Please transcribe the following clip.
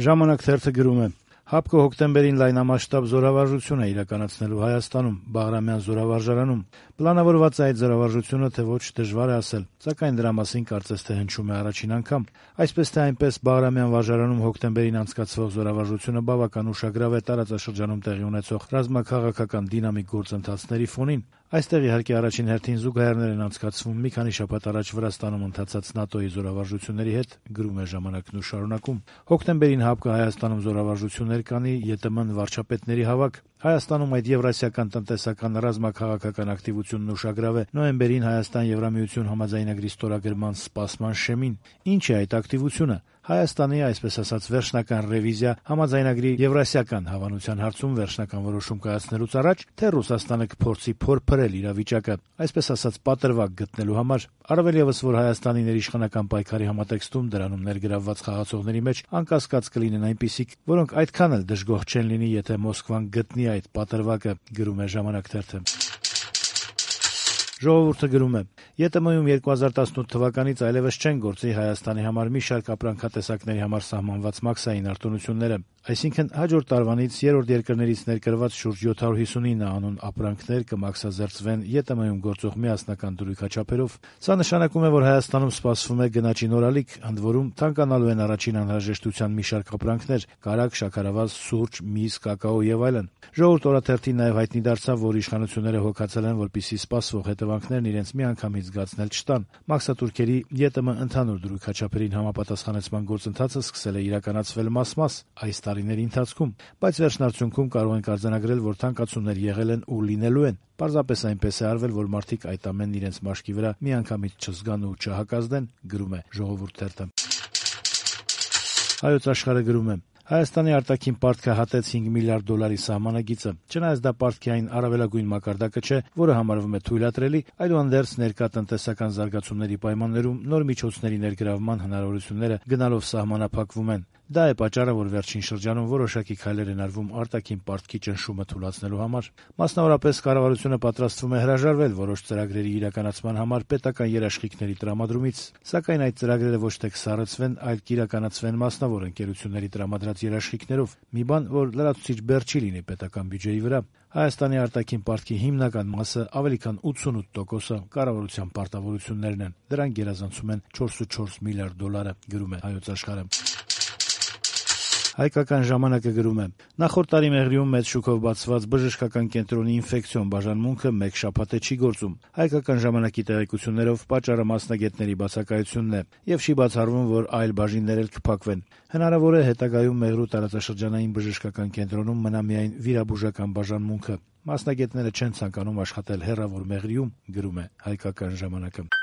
Ժամանակ թերթը գրում է. ՀԱՊԿ-ը հոկտեմբերին լայնամասշտաբ զորավարժություն է իրականացնելու Հայաստանում, Բաղրամյան զորավարժարանում։ Պլանավորված է այդ զորավարժությունը, թե ոչ դժվար է ասել, սակայն դրա մասին կարծես թե հնչում է առաջին անգամ։ Այսպես թե այնպես, Բաղրամյան վարժարանում հոկտեմբերին անցկացվող զորավարժությունը բավական ուշագրավ է տարածաշրջանում տեղի ունեցող ռազմաքաղաքական դինամիկ գործընթացների ֆոնին։ Այստեղ իհարկե առաջին հերթին զուգահեռներ են անցկացվում մի քանի շաբաթ առաջ Վրաստանում ընթացած ՆԱՏՕ-ի զորավարժությունների հետ, գրում է ժամանակն ու շարունակում. Հոկտեմբերին ՀԱՊԿ-ը Հայաստանում զորավարժություններ կանի, ԵՏՄ-ն վարչապետների հավաք։ Հայաստանում այդ եվրասիական տնտեսական ռազմաքաղաքական ակտիվությունն ուշագրավ է նոյեմբերին Հայաստան-Եվրամիություն համաձայնագրի ստորագրման սպասման շեմին։ Ինչ է այդ ակտիվությունը։ Հայաստանի, այսպես ասած, վերջնական ռևիզիա համաձայնագրի եվրասիական հավանության հարցում վերջնական որոշում կայացնելուց առաջ, թե Ռուսաստանը կփորձի փորփրել իրավիճակը, այսպես ասած, պատրվակ գտնելու համար։ Առավել ևս, որ Հայաստանի ներիշխանական պայքարի համատեքստում դրանում ներգրավված խաղացողների մեջ անկասկած կլինեն այնպիսիք, որոնք այդքան էլ դժգոհ չեն լինի, եթե Մոսկվան գտնի այդ պատրվակը, գրում է ժամանակ թերթը։ Ժողովուրդը գրում է. ԵՏՄ-ում 2018 թվականից այլևս չեն գործի Հայաստանի համար մի շարք ապրանքատեսակների համար սահմանված մաքսային արտոնությունները, այսինքն հաջորդ տարվանից երրորդ երկրներից ներկրված շուրջ 759 անուն ապրանքներ կմաքսազերծվեն ԵՏՄ-ում գործող միասնական դրույքաչափերով։ Սա նշանակում է, որ Հայաստանում սպասվում է գնաճի նորալիք, ընդ որում թանկանալու են առաջին անհրաժեշտության մի շարք ապրանքներ՝ կարագ, շաքարավազ, սուրճ, միս, կակաո եւ այլն։ Ժողովուրդ օրաթերթին նաեւ հայտնի դարձավ, որ իշխանությունները հոգացել են, որպեսզի սպասվող հետևանքներն իրենց միանգամից զգացնել չտան։ Մաքսատուրքերի ԵՏՄ ընդհանուր դրույքաչափերին համապատասխանեցման գործընթացը սկսել է իրականացվել մաս-մաս այս տարիների ընթացքում, բայց վերջնարդյունքում կարող ենք արձանագրել, որ թանկացումներ եղել են ու լինելու են։ Պարզապես այնպես է արվել, որ մարդիկ այդ ամենն իրենց մաշկի վրա միանգամից չզգան ու չհակազդեն, գրում է Ժողովուրդ թերթը։ Հայոց Աշխարհը գրում է. Հայաստանի արտաքին պարտքը հատեց $5 միլիարդ սահմանագիծը։ Չնայած դա պարտքի այն առավելագույն մակարդակը չէ, որը համարվում է թույլատրելի, այդուհանդերձ ներկա տնտեսական զարգացումների պայմաններում նոր միջոցների ներգրավման հնարավորությունները գնալով սահմանափակվում են։ Դա է պատճառը, որ վերջին շրջանում որոշակի քայլեր են արվում արտաքին պարտքի ճնշումը թուլացնելու համար։ Մասնավորապես, կառավարությունը պատրաստվում է հրաժարվել որոշ ծրագրերի իրականացման համար պետական երաշխիքների տրամադրումից, սակայն այդ ծրագրերը ոչ թե կսառեցվեն, այլ կիրականացվեն մասնավոր ընկերությունների տրամադրած երաշխիքներով, մի բան, որ լրացուցիչ բեռ չի լինի պետական բյուջեի վրա։ Հայաստանի արտաքին պարտքի հիմնական մասը, ավելի քան 88%-ը կառավարության պարտավորություններն են։ Դրանք գերազանցում են $4.4 միլիարդ, գրում է Հայոց Աշխարհը։ Հայկական ժամանակը գրում է. նախորդ տարի Մեղրիում մեծ շուկով բացված բժշկական կենտրոնի ինֆեկցիոն բաժանմունքը մեկ շաբաթ է չի գործում։ Հայկական ժամանակի տեղեկություններով պատճառը մասնագետների բացակայությունն է եւ չի բացառվում, որ այլ բաժիններ էլ կփակվեն։ Հնարավոր է հետագայում Մեղրու տարածաշրջանային բժշկական կենտրոնում մնա միայն վիրաբուժական բաժանմունքը։ Մասնագետները չեն ցանկանում աշխատել հեռավոր Մեղրիում, գրում է Հայկական ժամանակը։